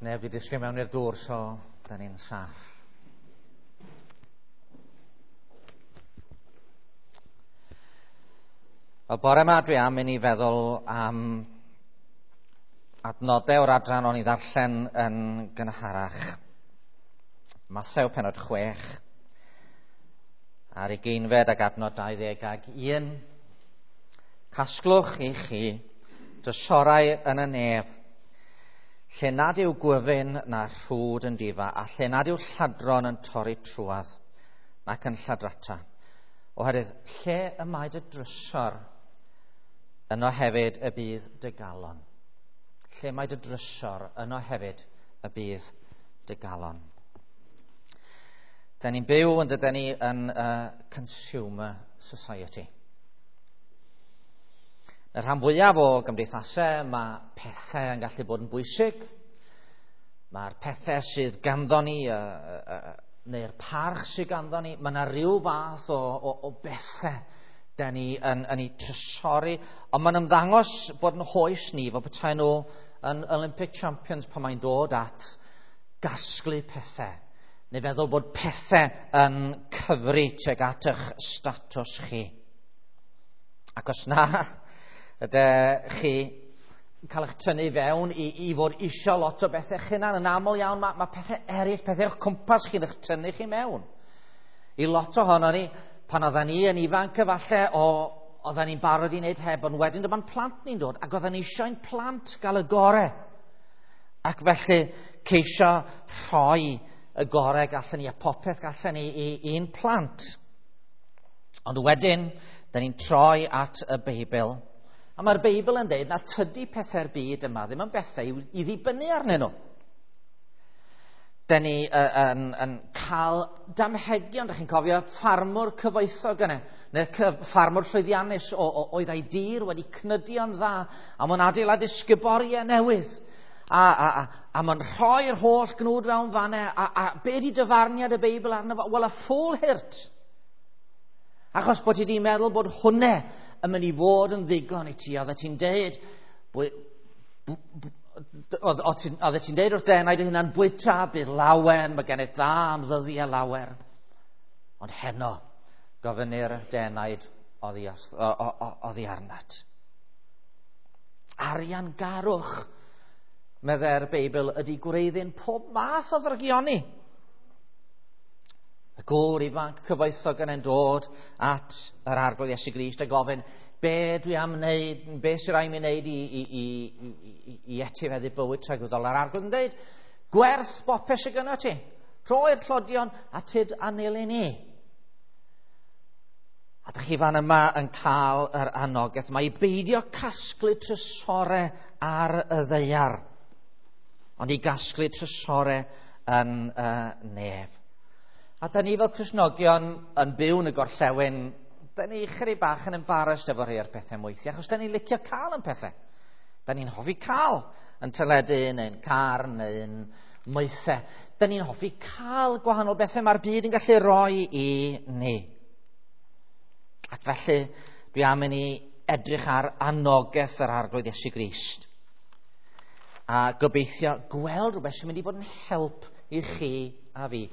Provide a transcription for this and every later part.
Neb wedi disgyn mewn i'r dŵr, so da ni'n saff. Wel, bore yma dwi am i ni feddwl am adnodau o'r adran o'n i ddarllen yn gynharach. Mathew pennod 6, ar ugeinfed ac adnod 21. Casglwch i chi drysorau yn y nef, lle nad yw gwyfyn na rhwd yn difa, a lle nad yw lladron yn torri trwadd nac yn lladrata. Oherwydd lle y mae dy drysor, yno hefyd y bydd dy galon. Lle mae dy drysor, yno hefyd y bydd dy galon. Da ni'n byw yn dydyn ni yn consumer society. Y rhan fwyaf o gymdeithasau, mae pethau yn gallu bod yn bwysig. Mae'r pethau sydd ganddo ni, neu'r parch sydd ganddo ni, mae yna rhyw fath o bethau da ni yn ei trysori. Ond mae'n ymddangos bod yn hoes ni, fel petai nhw yn Olympic Champions pan mae'n dod at gasglu pethau. Neu feddwl bod pethau yn cyfri tuag at eich statws chi. Ac os na, ydych chi cael eich tynnu fewn i fod isio lot o bethau eich hunan. Yn aml iawn, mae pethau eraill, pethau o'ch cwmpas chi'n eich tynnu chi mewn. I lot ohono ni, pan oedden ni yn ifanc efallai, oedden ni'n barod i wneud heb, ond wedyn dyma'n plant ni'n dod, ac oedden ni eisiau'n plant gael y gore. Ac felly ceisio rhoi y gore gallen ni, a popeth gallen ni i'n plant. Ond wedyn, da ni'n troi at y Beibl. A mae'r Beibl yn dweud na tydi pethau'r byd yma ddim yn bethau i ddibynnu arnyn nhw. Da ni yn cael damhegion, da chi'n cofio ffarmwr cyfoethog yna, neu ffarmwr llwyddiannus oedd ei dir wedi cnydio'n dda, a mae'n adeiladu sguboriau newydd, a mae'n rhoi'r holl gnwd fewn fanne, a be di dyfarniad y Beibl arno fo? Wel, y ffwl hurt. Achos bod ti di meddwl bod hwnne yn mynd i fod yn ddigon i ti. Oeddet ti'n deud, oeddet ti'n deud wrth denaid dy hunan, bwyta, bydd lawen, mae gennyt dda am ddyddiau lawer. Ond heno, gofynnir denaid oddi arnat. Arian garwch, meddai'r Beibl, ydy gwreiddyn pob math o ddrygioni. Y gŵr ifanc cyfoethog yn dod at yr Arglwydd Iesu Grist a gofyn, be dwi am wneud, be sy'n rhaid mi wneud i etifeddu bywyd tragwyddol? A'r Arglwydd yn dweud, gwerth bopeth sydd gynno ti, rhoi'r tlodion a tyd a nilyn i. A dych chi fan yma yn cael yr anogaeth mae i beidio casglu trysorau ar y ddaear, ond i gasglu trysorau yn y nef. A da ni fel Cristnogion yn byw yn y gorllewin, da ni chydig bach yn embarrassed efo rhai o'r pethau mwythio, achos da ni'n licio cael yn pethau. Da ni'n hoffi cael yn teledu, neu'n car, neu'n moethau. Da ni'n hoffi cael gwahanol bethau mae'r byd yn gallu rhoi i ni. Ac felly, dwi am i ni edrych ar anogaeth yr Arglwydd Iesu Grist. A gobeithio gweld rhywbeth sy'n mynd i fod yn help i chi a fi.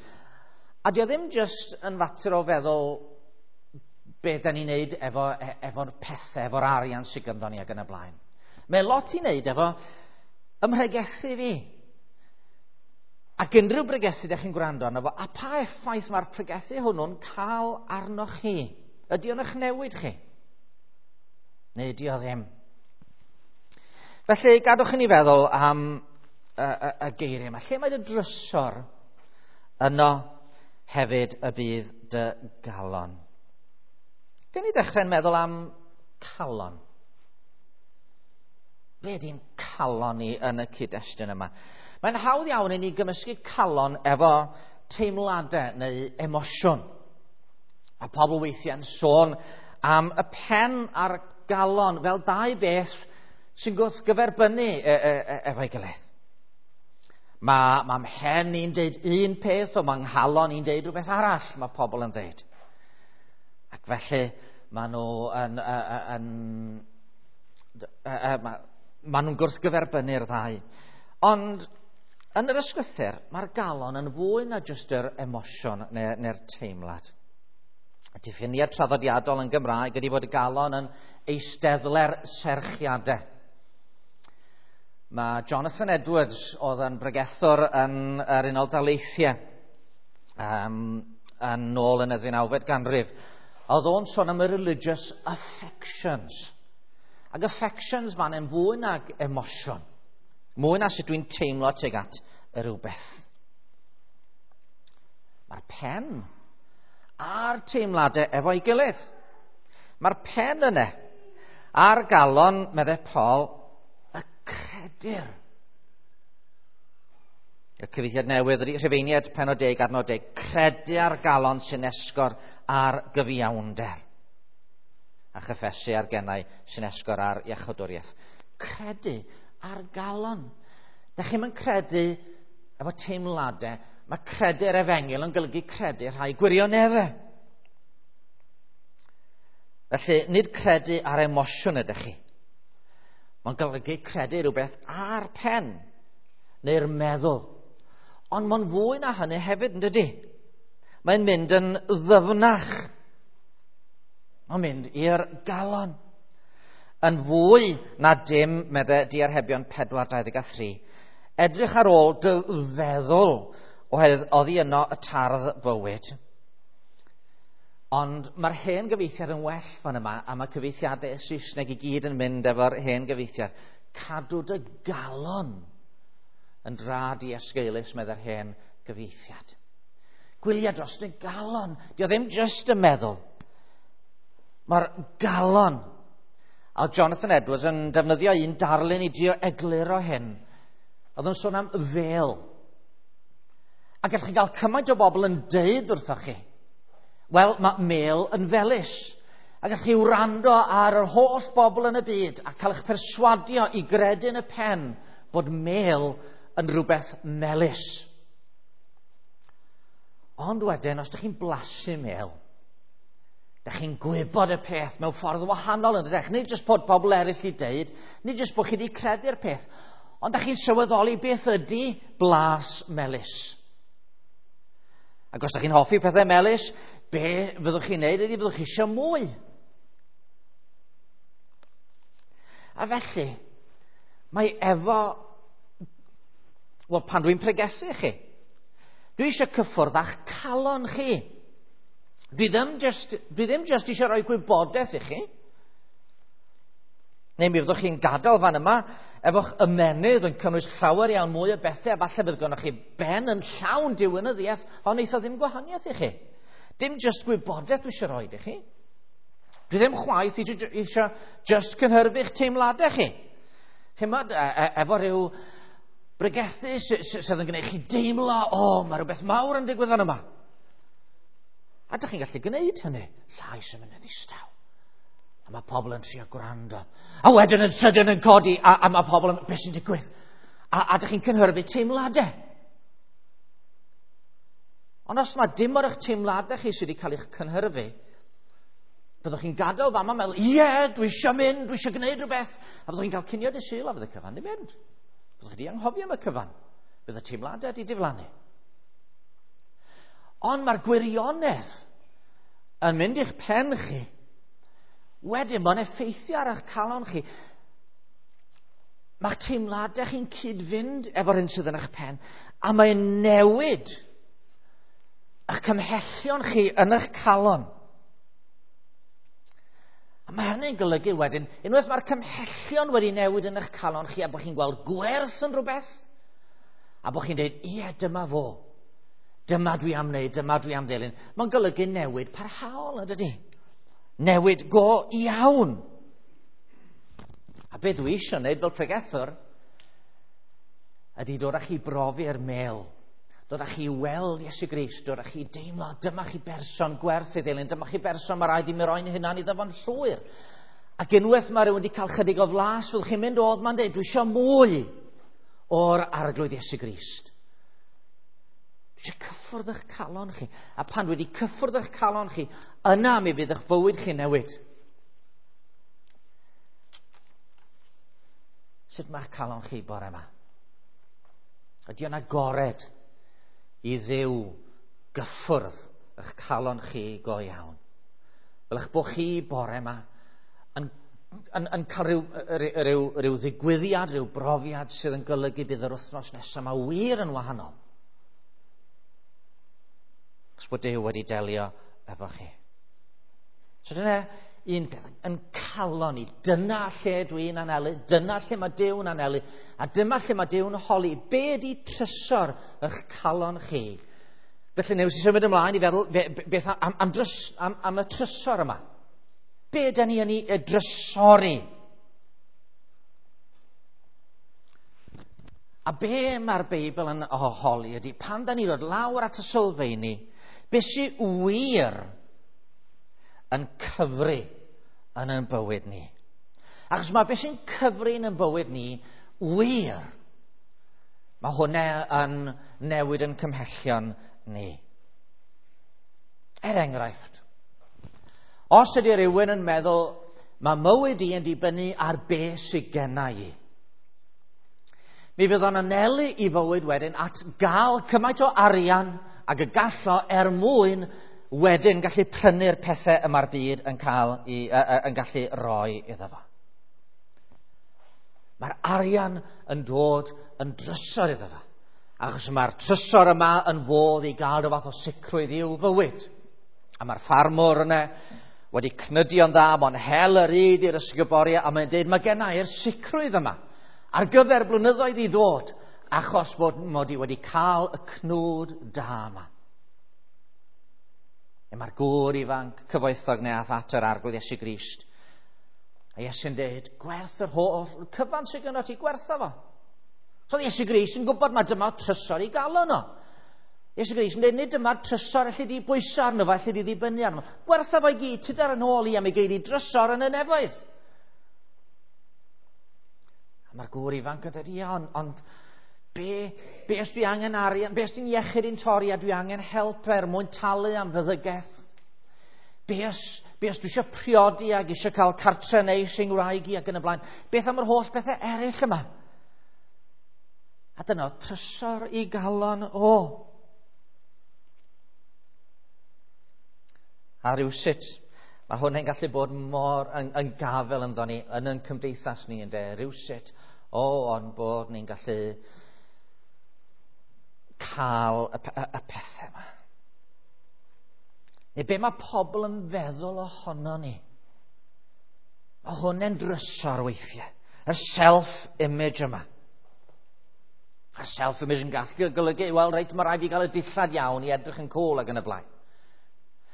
A dio ddim jyst yn fater o feddwl be da ni'n neud efo'r pethau, efo'r arian sydd ganddo ni ac yn y blaen. Mae lot i wneud efo ymhregethu fi. Ac unrhyw bregethu ydych chi'n gwrando arno fo, a pa effaith mae'r pregethu hwnnw'n cael arnoch chi? Ydy o'n eich newid chi? Neu ydy o ddim? Felly, gadwch i ni feddwl am y geiriau yma. Lle mae dy drysor? Yno hefyd y bydd dy galon. Dyn ni ddechrau'n meddwl am calon. Be ydy'n calon ni yn y cyd-destun yma? Mae'n hawdd iawn i ni gymysgu calon efo teimladau neu emosiwn. A pobl weithiau'n sôn am y pen a'r galon fel dau beth sy'n gwrthgyferbynnu efo'i gilydd. Mae mhen i'n deud un peth, ond mae nghalon i'n deud rhywbeth arall, mae pobl yn deud. Ac felly, maen nhw maen nhw'n gwrthgyferbynnu'r ddau. Ond Yn yr ysgrythur, mae'r galon yn fwy na jyst yr emosiwn neu'r teimlad. Y diffiniad traddodiadol yn Gymraeg ydy fod y galon yn eisteddle'r serchiadau. Mae Jonathan Edwards oedd yn bregethwr yn yr Unol Daleithiau yn ôl yn y 19fed ganrif. Oedd o'n sôn am y religious affections. Ac affections ma'n yn fwy nag emosiwn. Mwy na sut dwi'n teimlo tuag at y rhywbeth. Mae'r pen a'r teimladau efo'i gilydd. Mae'r pen yna a'r galon, meddai Paul, y credir. Y cyfieithiad newydd ydy Rhufeiniaid pennod 10 adnod 10. Credu ar galon sy'n esgor ar gyfiawnder. A chyffesu ar gennau sy'n esgor ar iachawdwriaeth. Credu ar galon. Da chi'm yn credu efo teimladau. Mae credu'r efengyl yn golygu credu rhai gwirioneddau. Felly, nid credu ar emosiwn ydych chi. Mae'n golygu credu rhywbeth ar pen neu'r meddwl. Ond mae'n fwy na hynny hefyd, yn dydy? Mae'n mynd yn ddyfnach. Mae'n mynd i'r galon. Yn fwy na dim, meddai Diarhebion 4:23. Edrych ar ôl dy feddwl, oherwydd oddi yno y tardd bywyd. Ond mae'r hen gyfieithiad yn well fan yma, a mae cyfieithiadau Saesneg i gyd yn mynd efo'r hen gyfieithiad. Cadw dy galon yn dra di-esgeulus, meddai'r hen gyfieithiad. Gwylia dros dy galon. Dio ddim jyst y meddwl. Mae'r galon. A Jonathan Edwards yn defnyddio un darlun i drio egluro hyn. Oedd yn sôn am fel. A gallwch chi gael cymaint o bobl yn deud wrthoch chi, wel, mae mel yn felys. A gallwch chi wrando ar yr holl bobl yn y byd a cael eich perswadio i gredu yn y pen bod mel yn rhywbeth melys. Ond wedyn, os ydych chi'n blasu mel, ydych chi'n gwybod y peth mewn ffordd wahanol yn dydych. Nid jyst bod pobl eraill i deud, nid jyst bod chi wedi credu'r peth, ond ydych chi'n sylweddoli beth ydy blas melys. Ac os ydych chi'n hoffi pethau melys, be fyddwch chi'n neud ydy fyddwch chi eisiau mwy. A felly, mae efo... Wel, pan dwi'n pregethu chi, dwi eisiau cyffwrdd â'ch calon chi. Dwi ddim just eisiau rhoi gwybodaeth i chi. Neu mi fyddwch chi'n gadael fan yma efo'ch ymennydd yn cynnwys llawer iawn mwy o bethau, a falle bydd gennych chi ben yn llawn diwinyddiaeth, ond wneith o ddim gwahaniaeth i chi. Dim just gwybodaeth dwi eisiau rhoi i chi. Dwi ddim chwaith eisiau just cynhyrfu'ch teimladau chi. Chimod, efo rhyw bregethu sydd yn gwneud chi deimlo, o, mae rhywbeth mawr yn digwydd fan yma. A dych chi'n gallu gwneud hynny. Llais yn mynd yn ddistaw. A mae pobl yn trio gwrando. A wedyn yn sydyn yn codi, a mae pobl yn... Beth sy'n digwydd? A dych chi'n cynhyrfu teimladau. Ond os mae dim o'r eich teimladau chi sydd wedi cael eich cynhyrfu, byddwch chi'n gadael fama meddwl, ie, dwi eisiau mynd, dwi eisiau gwneud rhywbeth. A byddwch chi'n cael cinio dy Sul a fydd y cyfan di mynd. Byddwch chi wedi anghofio am y cyfan. Bydd y teimladau wedi diflannu. Ond mae'r gwirionedd yn mynd i'ch pen chi. Wedyn, mae'n effeithio ar eich calon chi. Mae'ch teimladau chi'n cyd-fynd efo'r hyn sydd yn eich pen, a mae'n newid eich cymhellion chi yn eich calon. A mae hynny'n golygu wedyn, unwaith mae'r cymhellion wedi newid yn eich calon chi, a bod chi'n gweld gwerth yn rhywbeth, a bod chi'n dweud, ie, dyma fo. Dyma dwi am wneud, dyma dwi am ddilyn. Mae'n golygu newid parhaol, yn dydy? Newid go iawn. A be dwi eisiau wneud fel pregethwr ydy dod â chi brofi'r mel. Dod â chi weld Iesu Grist, dod â chi deimlo, dyma chi berson gwerth ei ddilyn, dyma chi berson mae rhaid i mi roi'n hunan iddo fo'n llwyr. Ac unwaith mae rhywun wedi cael chydig o flas, fyddwch chi'n mynd oedd ma'n dweud, dwi eisiau mwy o'r Arglwydd Iesu Grist. Dwi eisiau cyffwrdd eich calon chi. A pan dwi wedi cyffwrdd eich calon chi, yna mi fydd eich bywyd chi newid. Sut mae'ch calon chi bore yma? Ydy o'n agored i Dduw gyffwrdd eich calon chi go iawn? Fel eich bod chi bore yma yn cael rhyw ddigwyddiad, rhyw brofiad sydd yn golygu bydd yr wythnos nesaf yma wir yn wahanol. Achos bod Duw wedi delio efo chi. So dyna un peth, yn calon ni, dyna lle dwi'n anelu, dyna lle mae Duw'n anelu, a dyma lle mae Duw'n holi, be ydi trysor eich calon chi? Felly news i symud ymlaen i feddwl beth am y trysor yma. Be ydy ni yn ei drysori? A be mae'r Beibl yn holi ydy, pan da ni ddod lawr at y sylfeini, be sy'n wir yn cyfri yn ein bywyd ni? Achos mae be sy'n cyfri yn ein bywyd ni wir, mae hwnna yn newid yn cymhellion ni. Er enghraifft, os ydy rhywun yn meddwl, mae mywyd i yn dibynnu ar be sydd genna i, mi fydd o'n anelu i fywyd wedyn at gael cymaint o arian ag y gallo er mwyn wedyn gallu prynu'r pethau y mae'r byd yn cael yn gallu roi iddo fo. Mae'r arian yn dod yn drysor iddo fo, achos mae'r trysor yma yn fodd i gael rhyw fath o sicrwydd i'w fywyd. A mae'r ffarmwr yna wedi cnydio'n dda, mae'n hel yr ŷd i'r ysguboriau, a mae'n dweud, mae genna i'r sicrwydd yma ar gyfer blynyddoedd i ddod, achos bod mod i wedi cael y cnwd da yma. A mae'r gŵr ifanc cyfoethog neu ath at yr Arglwydd Iesu Grist. A Iesu'n dweud, gwerth yr holl cyfan sydd gynno ti, gwertha fo. So Iesu Grist yn gwybod mae dyma trysor i galon o. Iesu Grist yn dweud, nid dyma'r trysor allu di bwyso arno fo, allu di ddibynnu arno fo. Gwertha fo i gyd, tyd ar yn ôl i am ei geiri drysor yn y nefoedd. A mae'r gŵr ifanc yn dweud, ia, ond be os dwi angen arian, be os dwi'n iechyd i'n torri a dwi angen help er mwyn talu am feddygaeth? Be os dwi eisiau priodi ac eisiau cael cartre neis yng Nghymraeg i ac yn y blaen? Beth am yr holl bethau eraill yma? A dyna trysor i galon o. A rhywsut, mae hwn yn gallu bod mor yn gafel ynddo ni, yn ein cymdeithas ni, ynde, rhywsut, ond bod ni'n gallu cael y pethau yma. Neu be mae pobl yn feddwl ohono ni? Mae hwn yn drysor weithiau. Y self-image yma. Y self-image yn gallu golygu, wel, reit, mae rhaid i gael y dillad iawn i edrych yn cool ac yn y blaen.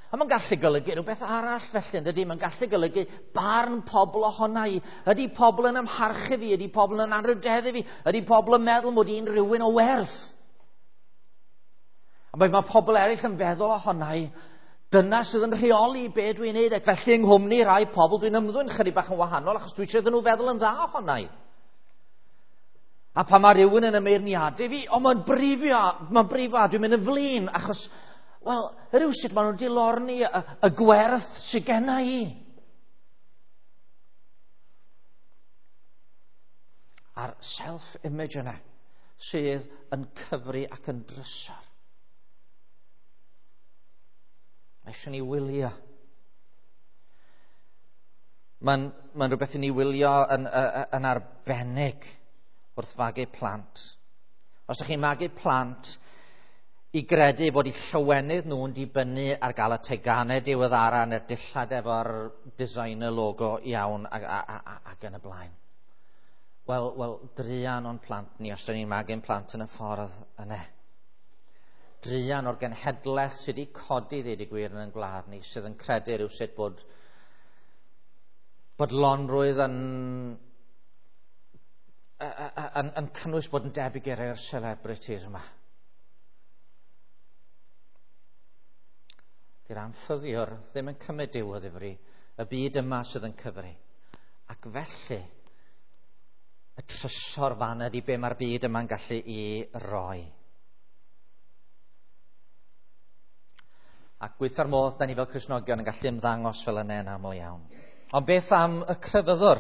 A mae'n gallu golygu rhywbeth arall felly, ydy? Mae'n gallu golygu barn pobl ohona i. Ydy pobl yn amharchu fi? Ydy pobl yn anrhydeddu fi? Ydy pobl yn meddwl mod i'n rhywun o werth? A mae pobl eraill yn feddwl ohona i. Dyna sydd yn rheoli be dwi'n neud. Ac felly yng nghwmni rai pobl dwi'n ymddwyn chydig bach yn wahanol achos dwi eisiau iddyn nhw feddwl yn dda ohona i. A pan mae rhywun yn ymeirniadu fi, o mae'n brifio, a dwi'n mynd yn flin achos, wel, rhywsut maen nhw'n dilorni y gwerth sydd genna i. A'r self-image yna sydd yn cyfri ac yn drysor. Mae eisiau ni wylio. Mae'n rhywbeth i ni wylio yn arbennig wrth fagu plant. Os ydych chi'n magu plant i gredu bod eu llawenydd nhw'n dibynnu ar gael y teganau diweddara neu'r dillad efo'r designer logo iawn ac yn y blaen. Wel, druan o'n plant ni os ydyn ni'n magu'n plant yn y ffordd yna. Druan o'r genhedlaeth sydd wedi codi, ddeud y gwir, yn ein gwlad ni, sydd yn credu rhywsut bod bodlonrwydd yn cynnwys bod yn debyg i'r celebrities yma. Di'r anffyddiwr ddim yn cymryd Duw o ddifri, y byd yma sydd yn cyfri. Ac felly, y trysor fan ydy be mae'r byd yma'n gallu i roi. Ac gweitha'r modd, da ni fel Cristnogion yn gallu ymddangos fel yna yn aml iawn. Ond beth am y crefyddwr?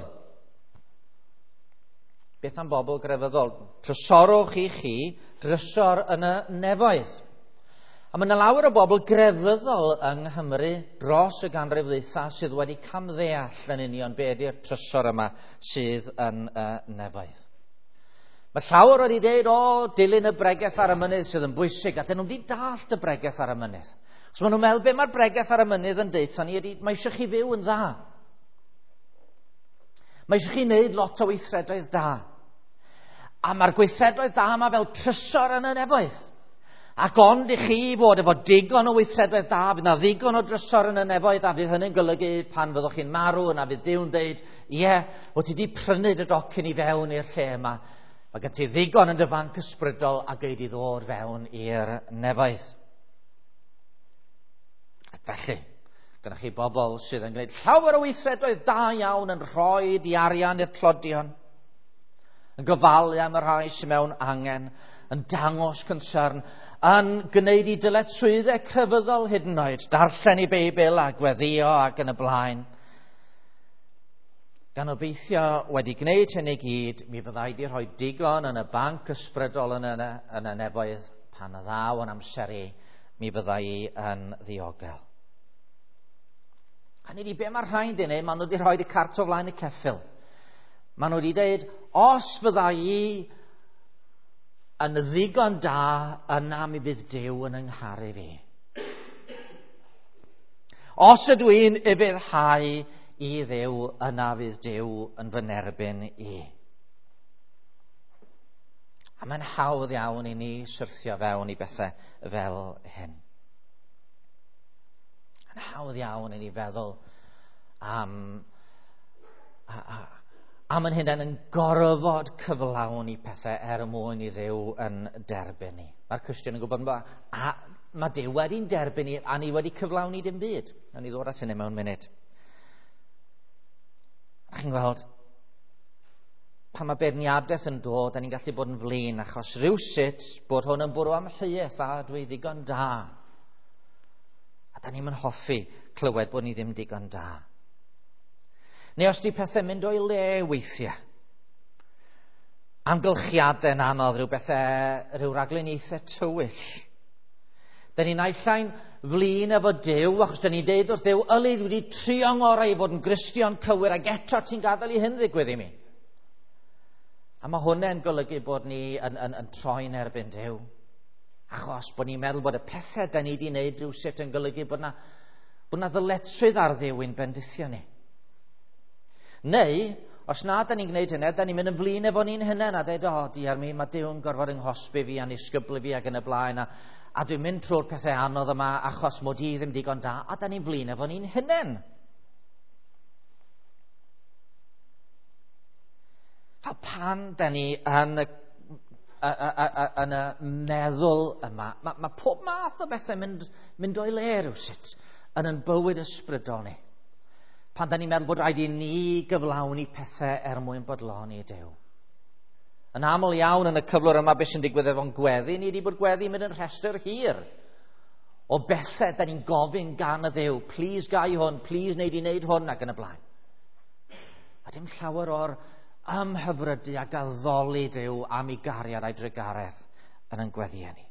Mae Beth am bobl grefyddol? Trysorwch i chi drysor yn y nefoedd. A mae yna lawer o bobl grefyddol yng Nghymru dros y ganrif ddwytha sydd wedi camddeall yn union be ydy'r trysor yma sydd yn y nefoedd. Mae llawer wedi dweud, o, dilyn y bregeth ar y mynydd sydd yn bwysig, a dyn nhw'n wedi dallt y bregeth ar y mynydd. So maen nhw'n meddwl, be mae'r bregeth ar y mynydd yn deutha ni ydy, mae eisiau chi fyw yn dda. Mae eisiau chi wneud lot o weithredoedd da. A mae'r gweithredoedd da yma fel trysor yn y nefoedd. Ac ond i chi fod efo digon o weithredoedd da, fydd na ddigon o drysor yn y nefoedd, a fydd hynny'n golygu pan fyddwch chi'n marw, yna fydd Duw'n deud, ie, yeah, o ti di prynu dy docyn i fewn i'r lle yma. Mae gen ti ddigon yn dy fanc ysbrydol a gei di ddod fewn i'r nefoedd. Ac felly, gyda chi bobl sydd yn gwneud llawer o weithredoedd da iawn yn rhoi di arian i'r tlodion, yn gofalu am y rhai sydd mewn angen, yn dangos concern, yn gwneud i dyletswyddau crefyddol hyd yn oed, darllen i Beibl a gweddio ac yn y blaen. Gan obeithio wedi gwneud hyn i gyd, mi fyddai di rhoi digon yn y banc ysbrydol yn y, yn y nefoedd pan y ddaw yn amser i, mi fyddai i yn ddiogel. A ni di be mae'r rhain di wneud, maen nhw wedi rhoi y cart o flaen y ceffyl. Maen nhw wedi dweud, os fyddai i yn ddigon da, yna mi fydd Duw yn yngharu fi. Os ydw i'n ufuddhau i Dduw, yna fydd Duw yn fy nerbyn i. A mae'n hawdd iawn i ni syrthio fewn i bethau fel hyn. Mae'n hawdd iawn i ni feddwl am, a, a, am yn hunain yn gorfod cyflawni pethau er mwyn i Dduw yn derbyn ni. Mae'r Cristion yn gwybod a, mae Duw wedi'n derbyn ni a ni wedi cyflawni dim byd. A ni ddod at hynny mewn munud. A chi'n gweld, pan mae beirniadaeth yn dod, da ni'n gallu bod yn flin, achos rhywsut bod hwn yn bwrw amheuaeth a dwi ddigon da. A da ni'n hoffi clywed bod ni ddim digon da. Neu os di pethau'n mynd o'i le weithiau. Amgylchiadau'n anodd, rhyw bethau, rhyw ragluniaethau tywyll. Da ni'n naill flin efo Duw, achos da ni'n deud wrth Dduw, yli, dwi wedi trio ngorau i fod yn Gristion cywir, ac eto ti'n gadael i hyn ddigwydd i mi. A mae hwnna'n golygu bod ni yn, yn, yn troi'n erbyn Duw. Achos bod ni'n meddwl bod y pethau da ni wedi wneud rhywsut yn golygu bod na, bod na ddyletswydd ar Dduw i'n bendithio ni. Neu, os na da ni'n gwneud hynny, da ni'n mynd yn flin efo ni'n hunain a dweud, o, diar mi, mae Duw yn gorfod yng nghosbi fi a'n isgyblu fi ac yn y blaen, a, a dwi'n mynd trwy'r pethau anodd yma achos mod i ddim digon da, a da ni'n flin efo ni'n hunain. A pan da ni yn y, yn y meddwl yma, mae, mae pob math o bethau mynd, mynd o'i le rhywsut yn yn bywyd ysbrydol ni. Pan da ni'n meddwl bod rhaid i ni gyflawni pethau er mwyn bodloni Duw. Yn aml iawn yn y cyflwr yma beth sy'n digwydd efo'n gweddi, ni wedi bod gweddi mynd yn rhestr hir o bethau da ni'n gofyn gan y Dduw. Please gai hwn, please wneud i wneud hwn ac yn y blaen. A dim llawer o'r ymhyfrydu ac addoli Duw am ei gariad a'i drugaredd yn ein gweddiau ni.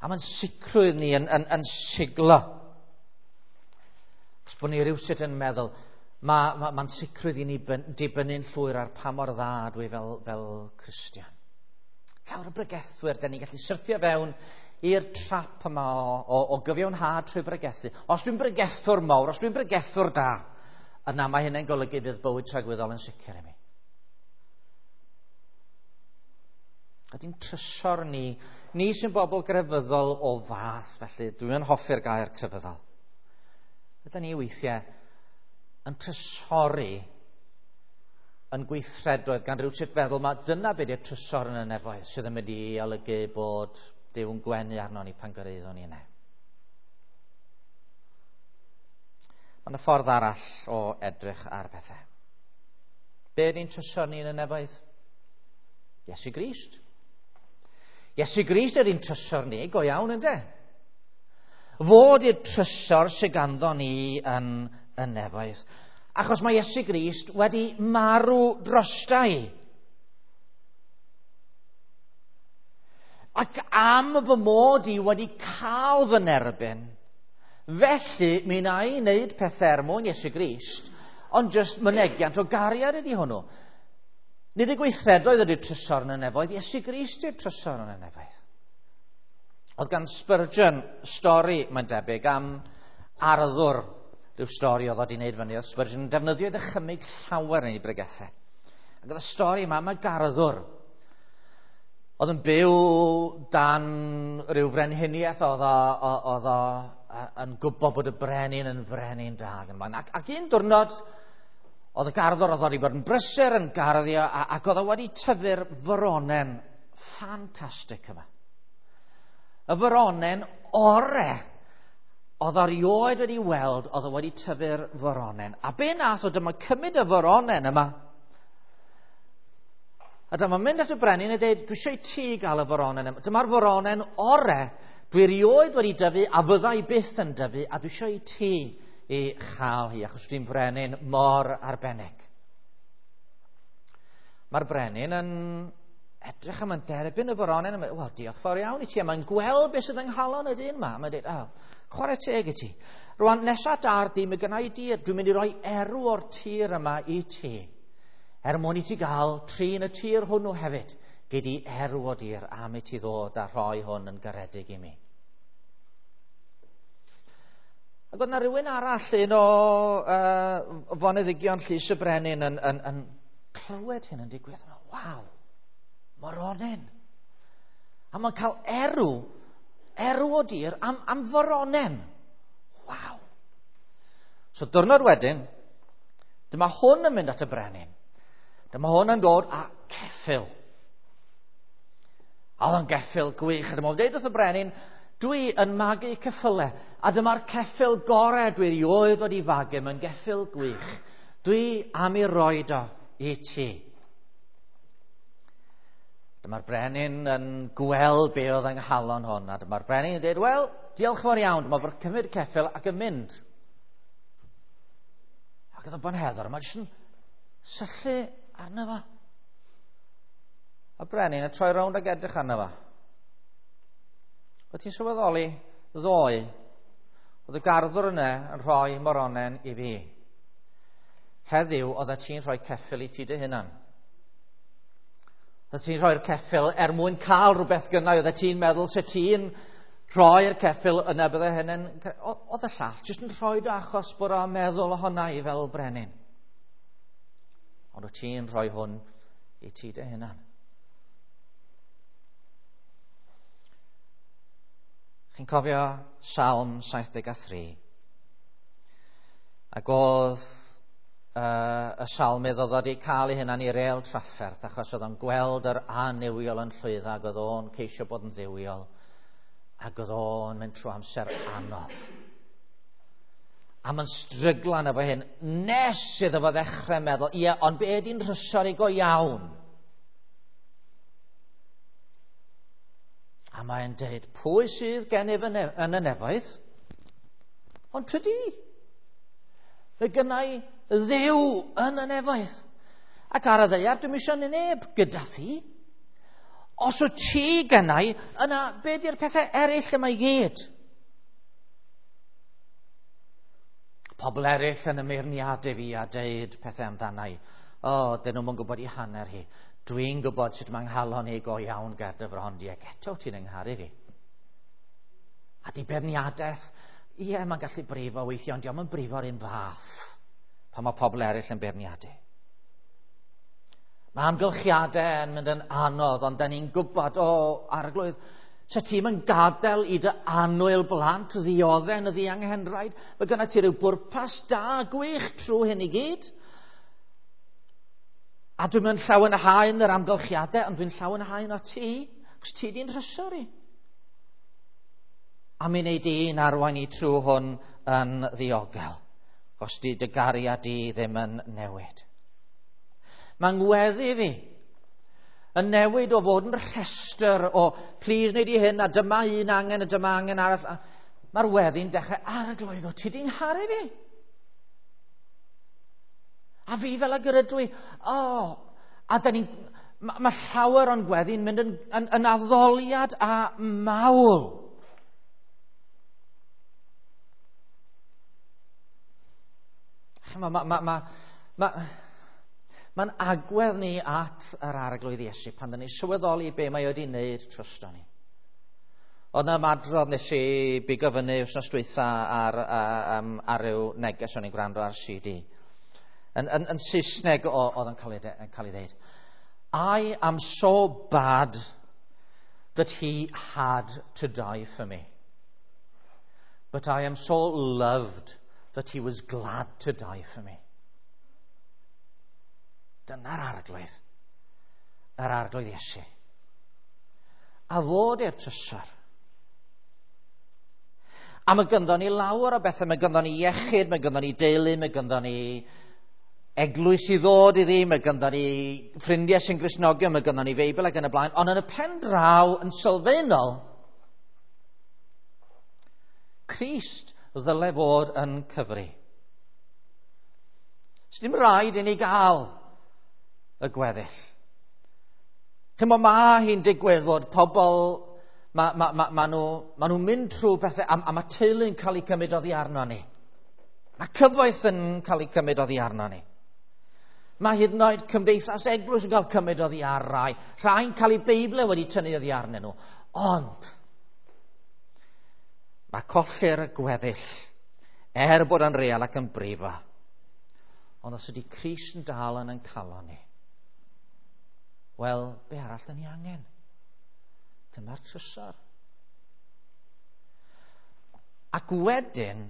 A mae'n sicrwydd ni yn, yn, yn siglo. Os bod ni rhywsut yn meddwl, mae'n ma, ma sicrwydd i ni dibynnu'n llwyr ar pa mor dda dwi fel, fel Cristion. Llawer o bregethwyr, da ni'n gallu syrthio fewn i'r trap yma o, o, o gyfiawnhad trwy bregethu. Os dwi'n bregethwr mawr, os dwi'n bregethwr da, yna mae hynny'n golygu bydd bywyd tragwyddol yn sicr i mi. Ydy'n trysor ni, ni sy'n bobl grefyddol o fath, felly dwi'n hoffi'r gair crefyddol. Ydyn ni weithiau yn trysori yn gweithredoedd gan rhyw sut feddwl mae dyna beth yw'r trysor yn y nefoedd sydd yn mynd i olygu bod Duw yn gwenu arno ni pan gyrraeddwn ni yna. Mae yna ffordd arall o edrych ar bethau. Be ydy'n trysor ni yn y nefoedd? Iesu Grist. Iesu Grist ydy'n trysor ni, go iawn ynde? Fod i'r trysor sydd ganddo ni yn y nefoedd. Achos mae Iesu Grist wedi marw drosta i. Ac am fy mod i wedi cael fy nerbyn, felly mi wna i wneud pethau er mwyn Iesu Grist, ond jyst mynegiant o gariad ydy hwnnw. Nid y gweithredoedd ydy'r trysor yn y nefoedd, Iesu Grist yw'r trysor yn y nefoedd. Oedd gan Spurgeon stori, mae'n debyg, am arddwr, rhyw stori oedd wedi wneud fyny. Oedd Spurgeon yn defnyddio ei ddychymyg llawer yn ei bregethau. Ac oedd y stori yma am y garddwr. Oedd yn byw dan rhyw frenhiniaeth, oedd o yn gwybod bod y brenin yn frenin da. Ac, ac un diwrnod, oedd y garddwr oedd wedi bod yn brysur yn garddio ac oedd o wedi tyfu'r foronen ffantastig yma. Y foronen ore oedd o erioed wedi weld, oedd o wedi tyfu'r foronen. A be nath o, dyma cymryd y foronen yma. A dyma mynd at y brenin a dweud, dwi eisiau i ti gael y foronen yma. Dyma'r foronen ore dwi erioed wedi dyfu a fydda i byth yn dyfu, a dwi eisiau i ti i chael hi, achos dwi'n brenin mor arbennig. Mae'r brenin yn edrych am yn derbyn y foronen, a wel, diolch fawr iawn i ti, a mae'n gweld beth sydd yng nghalon y dyn yma. Mae'n dweud, oh, chwarae teg i ti. Rwan, nesa da'r di, mae gynna i dir, dwi'n mynd i roi erw o'r tir yma i ti. Er mwyn i ti gael trin y tir hwnnw hefyd, gei di erw o dir am i ti ddod a rhoi hwn yn garedig i mi. Ac oedd yna rhywun arall, un o foneddigion Llys y Brenin yn, yn, yn clywed hyn yn digwydd. Waw, moronen. A mae'n cael erw o dir am, am foronen. Waw. So diwrnod wedyn, dyma hwn yn mynd at y brenin. Dyma hwn yn dod â ceffyl. A oedd o'n geffyl gwych. A dyma o'n dweud wrth y brenin, dwi yn magu ceffylau, a dyma'r ceffyl gorau dwi erioed wedi fagu, mae'n geffyl gwych. Dwi am ei roed o i ti. Dyma'r brenin yn gweld be oedd yng nghalon hwn, a dyma'r brenin yn dweud, wel, diolch fawr iawn, dyma fo'n cymryd ceffyl ac yn mynd. Ac oedd y bonheddwr yma jyst yn syllu arno fo. A brenin yn troi rownd ac edrych arno fo. Wyt ti'n sylweddoli ddoe, oedd y garddwr yna yn rhoi moronen i fi. Heddiw, oedd ti'n rhoi ceffyl i ti dy hunan. Oedd ti'n rhoi'r ceffyl er mwyn cael rhywbeth gynnau. Oedd ti'n meddwl se ti'n rhoi'r ceffyl yna bydde hynny'n... Oedd y llall jyst yn rhoi dy achos bod o'n meddwl ohona i fel brenin. Ond wyt ti'n rhoi hwn i ti dy hunan. Chi'n cofio Salm 73? Ac oedd y salmydd oedd wedi cael ei hunan i'r rêl trafferth achos oedd o'n gweld yr annuwiol yn llwyddo ac oedd o'n ceisio bod yn dduwiol ac oedd o'n mynd trwy amser anodd. A mae'n stryglan efo hyn nes iddo fo ddechrau meddwl, ie, ond be ydy'n rhysor i go iawn? A mae'n dweud, pwy sydd gennyf yn y nefoedd? Ond tydi. Fe gynnau Dduw yn y nefoedd. Ac ar y ddaear, dwi'm eisiau neb gyda thi. Os wyt ti gynnau, yna be di'r pethau eraill yma i gyd? Pobl eraill yn ymyrniadau fi a deud pethau amdanau. O, dyn nhw'm yn gwybod i hanner hi. Dwi'n gwybod sut mae'n nghalon i go iawn ger dy fron di, ac eto ti'n yngharu fi. A di beirniadaeth, ie, mae'n gallu brifo weithiau, ond dio'm yn brifo'r un fath pan mae pobl eraill yn beirniadu. Mae amgylchiadau yn mynd yn anodd, ond da ni'n gwybod, o, Arglwydd, se ti'n yn gadael i dy annwyl blant ddioddau yn y ddianghenraid, mae gynna ti ryw bwrpas da gwych trwy hyn i gyd. A dwi'n mynd llawenhau yn yr amgylchiadau, ond dwi'n llawenhau o ti, achos ti di'n rhysor i. A mi wneud di'n arwain i trwy hwn yn ddiogel, os di dy gariad di ddim yn newid. Mae'n ngweddi fi yn newid o fod yn rhestr o please wneud i hyn a dyma un angen a dyma angen arall. Mae'r weddi'n dechrau, Arglwydd, o ti di'n ngharu fi? A fi fel ag yr ydw i. O, a da ni'n Mae llawer o'n gweddi'n mynd yn addoliad a mawl. Mae'n agwedd ni at yr Arglwydd Iesu pan dyn ni'n sylweddoli be mae wedi wneud drosto ni. Oedd 'na ymadrodd nes i bigo fyny wythnos dwytha ar ryw neges o'n i'n gwrando ar CD. Yn Saesneg oedd yn cael ei ddeud. I am so bad that he had to die for me. But I am so loved that he was glad to die for me. Dyna'r Arglwydd. Yr Arglwydd Iesu. A fod i'r trysor. A mae gynddon ni lawer o bethau. Mae gynddon ni iechyd, mae gynddon ni deulu, mae gynddon ni eglwys i ddod iddi, mae gynddon ni ffrindiau sy'n Gristnogion, mae gynddon ni Feibl ac yn y blaen. Ond yn y pen draw, yn sylfaenol, Crist ddyle fod yn cyfri. Sdim rhaid i ni gael y gweddill. Chimod, mae hi'n digwydd fod pobl, ma nhw'n mynd trwy pethau, a mae teulu'n cael eu cymryd oddi arno ni. Mae cyfoeth yn cael eu cymryd oddi arno ni. Mae hyd yn oed cymdeithas eglwys yn cael cymryd oddi ar rai. Rhai'n cael eu Beiblau wedi tynnu oddi arnyn nhw. Ond mae colli'r gweddill, er bod yn real ac yn brifo. Ond os ydy Crist yn dal yn ein calon ni, wel, be arall da ni angen? Dyma'r trysor. Ac wedyn,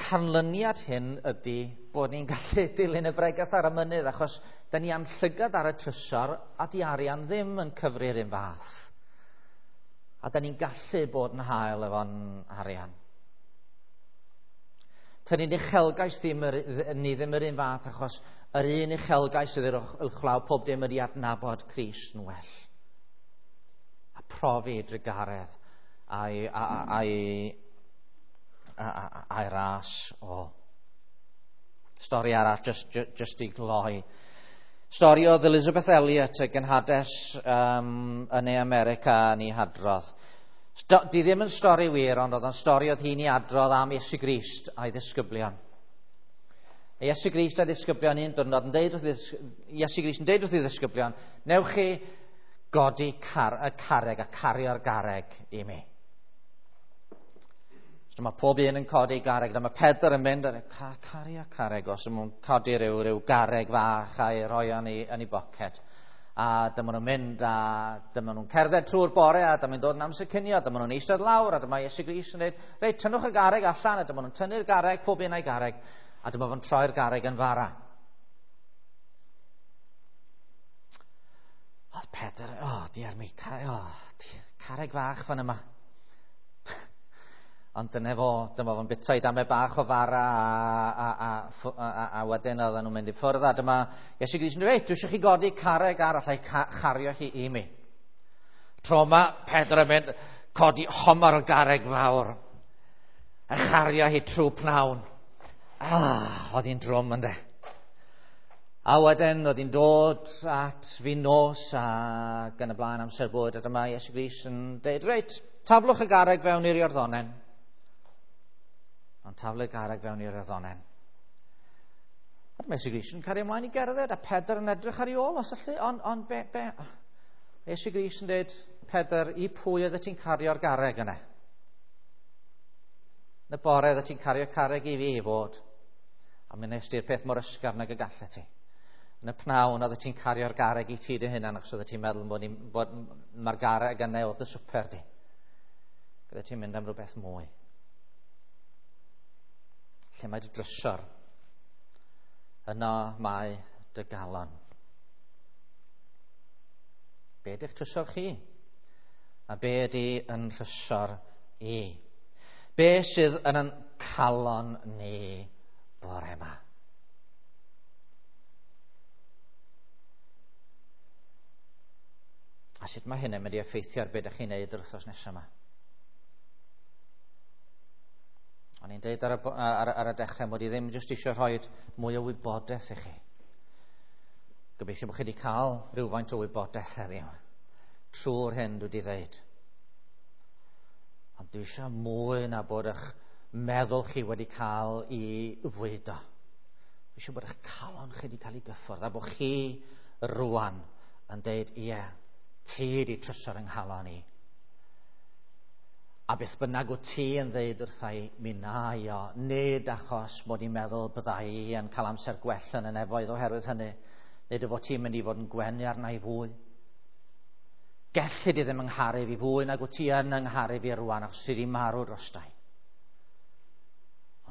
canlyniad hyn ydy bod ni'n gallu dilyn y bregeth ar y mynydd, achos da ni am llygad ar y trysor a di arian ddim yn cyfri'r un fath. A da ni'n gallu bod yn hael efo'n arian. Tyn ni'n uchelgais ddim ni ddim yr un fath, achos yr un uchelgais sydd uwchlaw pob dim ydy adnabod Crist yn well. A profi drugaredd a'i ras o. Stori arall, just i gloi. Stori oedd Elizabeth Elliot, y genhades yn ei America yn ei hadrodd. Di ddim yn stori wir, ond oedd yn stori oedd hi'n ei adrodd am Iesu Grist a'i ddisgyblion. Iesu Grist a'i ddisgyblion un diwrnod yn deud wrth Iesu Grist yn deud wrth ei ddisgyblion, newch chi godi y carreg a cario'r garreg i mi. So mae pob un yn codi garreg. Dyma Pedr yn mynd, cario carreg os yw'n codi rhyw garreg fach a'i rhoi yn ei boced. A dyma nhw'n mynd a dyma nhw'n cerdded trwy'r bore a dyma nhw'n dod yn amser cinio, dyma nhw'n eistedd lawr a dyma Iesu Grist yn dweud, reit, tynnwch y garreg allan, a dyma nhw'n tynnu'r garreg, pob un a'i garreg, a dyma fo'n troi'r garreg yn fara. Oedd Pedr, diar mi, carreg fach fan yma. Ond dyna fo, dyma fo'n bita i damau bach o fara a wedyn oedden nhw'n mynd i ffwrdd, a dyma Iesu Grist yn dweud, dwi eisiau chi godi carreg arall a'i chario chi i mi. Tro yma, Pedr yn mynd, codi homar o garreg fawr a chario hi trwy pnawn. Oedd hi'n drwm ynde. A wedyn oedd hi'n dod at fi nos ac yn y blaen amser bwyd, a dyma Iesu Grist yn dweud, reit, taflwch y garreg fewn i'r Iorddonen. Ond taflu garreg fewn i'r Iorddonen. A dyma Iesu Grist yn cario ymlaen i gerdded, a Pedr yn edrych ar ei ôl, os allu, ond be? Iesu Grist yn dweud, Pedr, i pwy oeddet ti'n cario'r garreg yna? Yn y bore oeddet ti'n cario carreg i fi i fod. A mi wnes di'r peth mor ysgafn ag y gallet ti. Yn y pnawn oeddet ti'n cario'r garreg i ti dy hunan, achos oeddet ti'n meddwl bod mae'r garreg yna oedd dy swper di. Oeddet ti'n mynd am rhywbeth mwy. Lle mae dy drysor, yno mae dy galon. Be ydy'ch trysor chi? A be ydy yn trysor i? Be sydd yn ein calon ni bore yma? A sut mae hynny'n mynd i effeithio ar be ydych chi'n neud yr wythnos nesaf yma? O'n i'n deud ar y dechrau mod i ddim jyst eisiau rhoi mwy o wybodaeth i chi. Gobeithio bod chi wedi cael rhywfaint o wybodaeth heddiw trwy'r hyn dwi wedi ddeud. Ond dwi eisiau mwy na bod eich meddwl chi wedi cael ei fwydo. Dwi eisiau bod eich calon chi wedi cael ei gyffwrdd a bod chi rwan yn deud, ie, ti di trysor yng nghalon i. A beth bynnag wyt ti yn ddeud wrtha i, mi na i o, nid achos mod i'n meddwl bydda i yn cael amser gwell yn y nefoedd oherwydd hynny, nid y fod ti'n mynd i fod yn gwenu arna i fwy. Gelli di ddim yng ngharu fi fwy nag wyt ti yn yng ngharu fi rwan, achos ti di marw drosta i.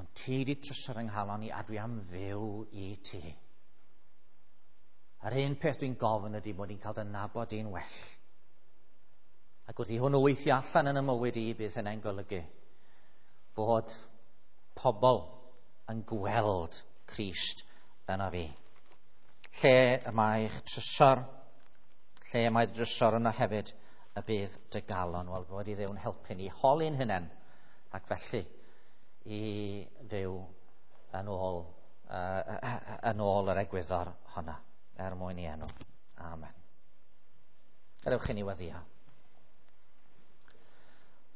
Ond ti di trysor yng nghalon i, a dwi am fyw i ti. A'r un peth dwi'n gofyn ydy bod i'n cael dy nabod i'n well. Ac wrth i hwnnw weithio allan yn y mywyd i, bydd hynny'n golygu bod pobl yn gweld Crist yna fi. Lle y mae eich trysor, lle y mae drysor yna hefyd, y bydd dy galon. Wel, bod i Dduw'n helpu ni holi'n hunain, ac felly i fyw yn ôl, yn ôl yr egwyddor honna, er mwyn i enw. Amen. Gadewch i ni weddio.